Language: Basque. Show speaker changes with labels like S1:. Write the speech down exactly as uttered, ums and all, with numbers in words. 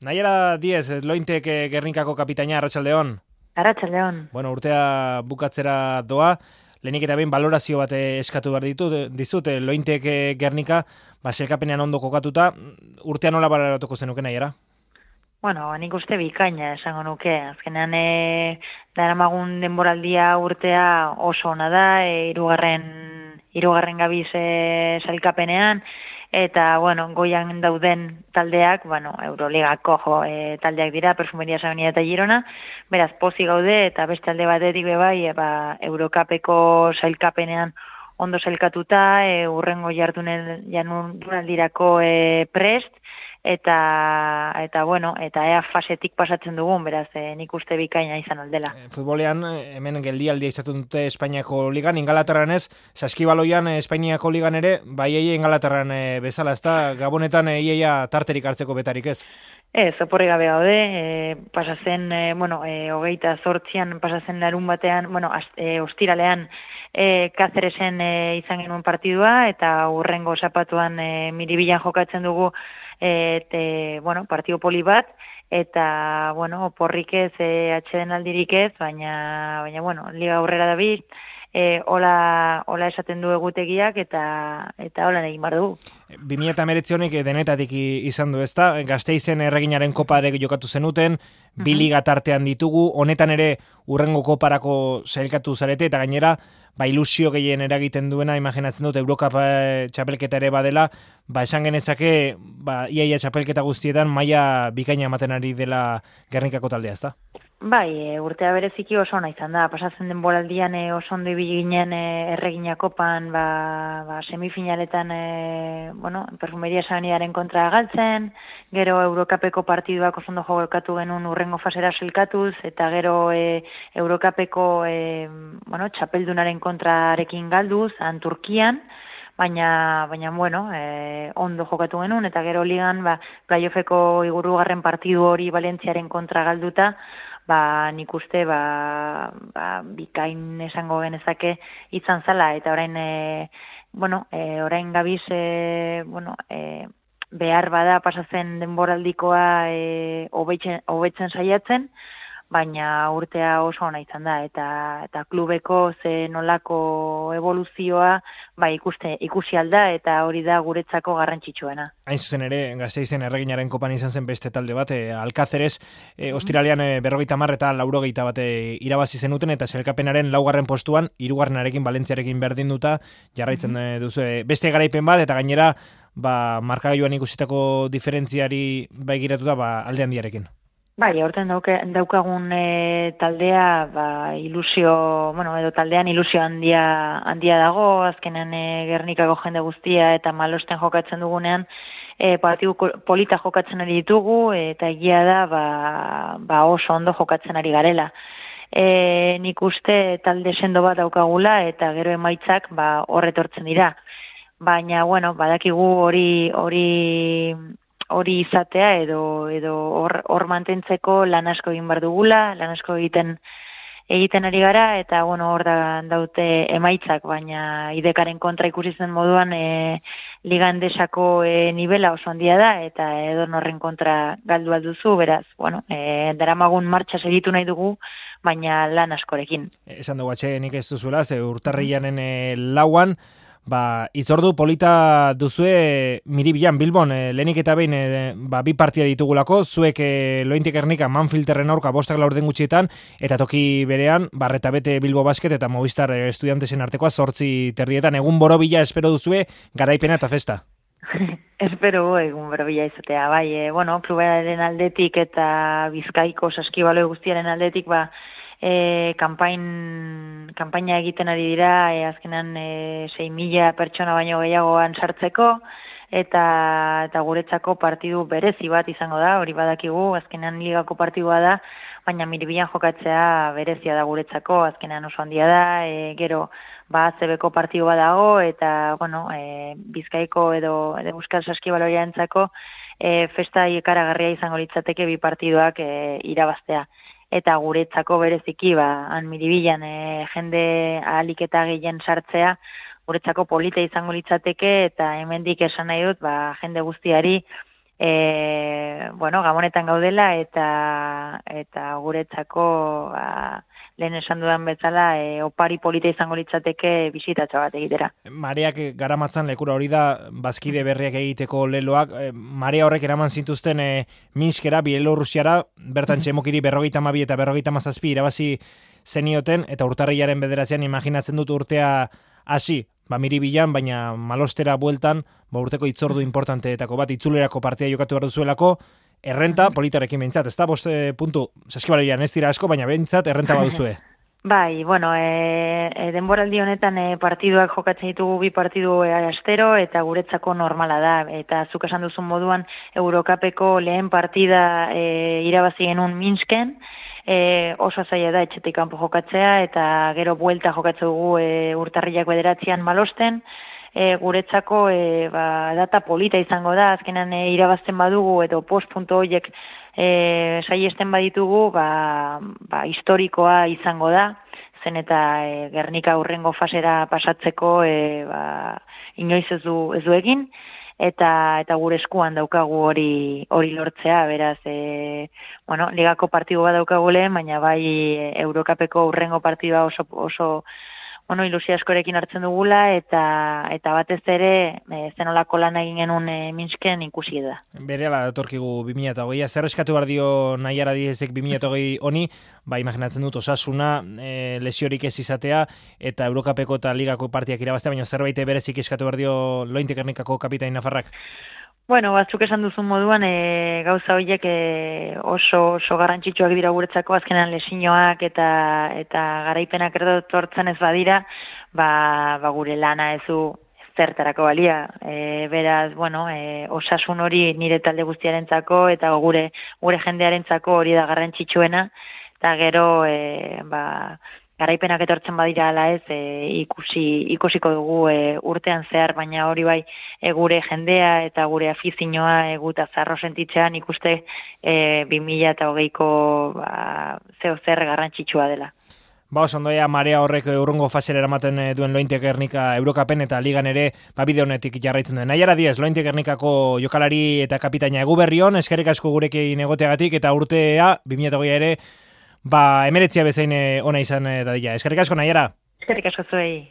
S1: Naiara Diez, Lointek eh, Gernikako kapitaina, Arratsaldeon.
S2: Arratsaldeon.
S1: Bueno, urtea bukatzera doa, lehenik eta behin balorazio bat eh, eskatu behar ditut, dizut, eh, Lointek eh, Gernika, ba, selkapenean ondo kokatuta, urtea nola baloratuko zenuke, Naiara?
S2: Bueno, nik uste bikaina esango nuke. Azkenean e, daramagun denboraldia urtea oso ona da, e, irugarren, irugarren gabiz e, sailkapenean, eta, bueno, goian dauden taldeak, bueno, Euroligako jo, e, taldeak dira, Perfumeria Sabenia eta Girona, beraz, pozik gaude, eta beste alde batetik bebai, e, ba, Eurokapeko sailkapenean ondo sailkatuta, e, urrengo jardunen jardunaldirako e, prest, eta eta bueno, eta ea fasetik pasatzen dugun, beraz, e, nik uste bikaina izan aldela.
S1: E, futbolean, hemen geldialdia izaten dute Espainiako ligan, Ingalaterran ez, saskibaloian Espainiako ligan ere, bai eie Ingalaterran e, bezala, ez da, Gabonetan e, ieia tarterik hartzeko betarik ez?
S2: Ez, oporri gabe gaude, e, pasazen, e, bueno, e, hogeita zortzian, pasazen larun batean, bueno, az, e, ostiralean, e, Kazeresen e, izan genuen partidua, eta urrengo zapatuan e, Miribilan jokatzen dugu, e, te, bueno, partido poli bat, eta, bueno, oporrik ez, e, atxeden aldirik ez, baina, baina, bueno, liga aurrera dabil, E, hola, hola esaten du egutegiak eta eta hola egin bar dugu.
S1: bi mila hemeretzi honek denetatik izan du, ezta? Gasteizen erreginaren koparek jokatu zenuten, uh-huh. bi liga tartean ditugu, honetan ere urrengo koparako sailkatu zarete, eta gainera, ba, ilusio gehien eragiten duena, imaginatzen dut, Eurokapa txapelketa ere badela, ba, esan genezake, ba, iaia txapelketa guztietan maila bikaina ematen ari dela Gernikako taldea, ezta?
S2: Bai, e, urtea bereziki oso ona izan da. Pasatzen den boraldian e, oso ondo ibili ginen e, erregina kopan, ba, ba, semifinaletan e, bueno, Perfumeria Sabeniaren kontra galtzen, gero Eurokapeko partiduak oso ondo jokatu genuen urrengo fasera sailkatuz, eta gero e, Eurokapeko e, bueno, txapeldunaren kontrarekin galduz, han Turkian, baina, baina bueno, e, ondo jokatu genuen, eta gero ligan, ba, playoffeko igurugarren partidu hori Valentziaren kontra galduta, ba, nik uste, ba, ba, bikain esango genezake izan zala, eta orain, e, bueno, e, orain gabiz, e, bueno, e, behar bada pasatzen denboraldikoa e, hobetzen, hobetzen saiatzen, baina urtea oso ona izan da, eta eta klubeko ze nolako evoluzioa ba ikuste ikusi alda, eta hori da guretzako garrantzitsuena.
S1: Hain zuzen ere, Gasteizen erreginaren kopan izan zen beste talde bat, e, Alkazeres, e, ostiralean e, berrogeita hamar eta laurogeita bat e, irabazi zenuten, eta selkapenaren laugarren postuan, hirugarrenarekin Valentziarekin berdinduta jarraitzen mm-hmm. duzu. E, beste garaipen bat, eta gainera, ba, markagailuan ikusitako diferentziari begiratuta, ba, alde handiarekin.
S2: Bai, aurten dauke, daukagun e, taldea, ba, ilusio, bueno, edo taldean ilusio handia, handia dago, azkenean e, Gernikako jende guztia eta Malosten jokatzen dugunean, e, partidu polita jokatzen ari ditugu, eta egia da, ba, ba oso ondo jokatzen ari garela. E, nik uste talde sendo bat daukagula, eta gero emaitzak ba, horretortzen dira. Baina, bueno, badakigu hori hori... hori izatea edo edo hor hor mantentzeko lan asko egin bar dugula, lan asko egiten egiten ari gara, eta bueno, hor da daute emaitzak, baina idekaren kontra ikusi zen moduan e, liga endesako e, nivela oso handia da, eta edonorren kontra galdu alduzu, beraz, bueno, e, daramagun martxa segitu nahi dugu, baina lan askorekin.
S1: Esan dugu atxenik ez duzuela, ze urtarrilanen e, lauan, ba, itzordu polita duzue Miribilan, Bilbon, e, lehenik eta behin e, ba, bi partia ditugulako, zuek e, Lointek Gernika Manfilterren aurka bostak laurden gutxietan, eta toki berean, Barreta Bete Bilbo Basket eta Movistar e, Estudiantesen artekoa zortzi terdietan, egun borobila espero duzue garaipena eta festa.
S2: Espero egun borobila izatea, bai, e, bueno, klubaren aldetik eta Bizkaiko saskibaloi guztiaren aldetik, ba, E, kanpain, kanpaina egiten ari dira, e, azkenan e, sei mila pertsona baino gehiagoan sartzeko, eta, eta guretzako partidu berezi bat izango da, hori badakigu, azkenan ligako partidua da, baina Miribilan jokatzea berezia da guretzako, azkenan oso handia da, e, gero ba A C Bko partidu bat dago, eta bueno, e, Bizkaiko edo, edo Euskal Saskibaloiarentzako e, festa ikaragarria izango litzateke bi partiduak e, irabaztea. Eta guretzako bereziki, ba, han Miribilan e, jende ahalik eta gehien sartzea, guretzako polita izango litzateke, eta hemendik esan nahi dut, ba, jende guztiari e, bueno, gabonetan gaudela eta eta guretzako ba, lehen esan dudan bezala e, opari polita izango litzateke bisitatxo bat egitera.
S1: Mareak garamatzan lekura hori da bazkide berriak egiteko leloak. E, marea horrek eraman zintuzten e, Minskera, Bielorrusiara, bertan txemokiri berrogeita hamabi eta berrogeita hamazazpi irabazi zenioten, eta urtarrilaren bederatzean imaginatzen dut urtea hasi, ba miribilan, baina malostera bueltan, ba urteko itzordu importanteetako bat, itzulerako partia jokatu behar duzuelako, errenta politarekin behintzat, ez da, boste puntu, saskibaloian ez dira asko, baina behintzat errenta baduzue.
S2: Bai, bueno, e, e, denboraldi honetan e, partiduak jokatzen ditugu bi partidu e, astero, eta guretzako normala da, eta zuk esan duzun moduan Eurokapeko lehen partida e, irabazi genuen Minsken, e, oso zaila da etxetik kanpo jokatzea, eta gero buelta jokatzen dugu e, urtarrilak bederatzean Malosten, e, guretzako e, ba, data polita izango da, azkenan e, irabazten badugu, edo post punto horiek E, saiesten baditugu, ba, ba, historikoa izango da, zen eta e, Gernika hurrengo fasera pasatzeko e, ba, inoiz ez du, ez du egin, eta eta gure eskuan daukagu hori hori lortzea, beraz, e, bueno, ligako partidu bat daukagu lehen, baina bai e, Eurokapeko hurrengo partidua oso, oso bueno, ilusia askorekin hartzen dugula, eta eta batez ere e, zenolako lan egin genuen e, Minsken ikusi da.
S1: Berehala datorkigu bi mila hogeia, zer eskatu behar dio Naiara Diezek bi mila hogei honi, ba imaginatzen dut Osasuna, e, lesiorik ez izatea, eta Eurokapeko eta Ligako partiak irabaztea, baina zerbait berezik eskatu behar dio Lointe Gernikako kapitain nafarrak?
S2: Bueno, batzuk esan duzun moduan, e, gauza horiek e, oso, oso garrantzitsuak dira guretzako, azkenan lesinoak eta eta garaipenak erdotortzen ez badira, ba, ba gure lana ez du zertarako balia. E, beraz, bueno, e, Osasun hori nire talde guztiarentzako eta gure gure jendearentzako hori da garrantzitsuena, eta gero e, ba, garaipenak etortzen badira ala ez, e, ikusi ikusiko dugu e, urtean zehar, baina hori bai e, gure jendea eta gure afizioa eguta zarro sentitzean ikuste e, bi mila hogeiko ba, zeo zer garrantzitsua dela.
S1: Ba, osondoia marea horrek urrungo fasera eramaten duen Lointe Gernika Eurokapen eta Ligan ere ba, bide honetik jarraitzen duen. Naiara Diez, Lointe Gernikako jokalari eta kapitaina egu berrion, eskerrik asko gurekin egoteagatik, eta urtea bi mila hogeia ere ba, emeretzia bezain ona izan dadila. Eskerrik asko, Naiara.
S2: Eskerrik asko zuei.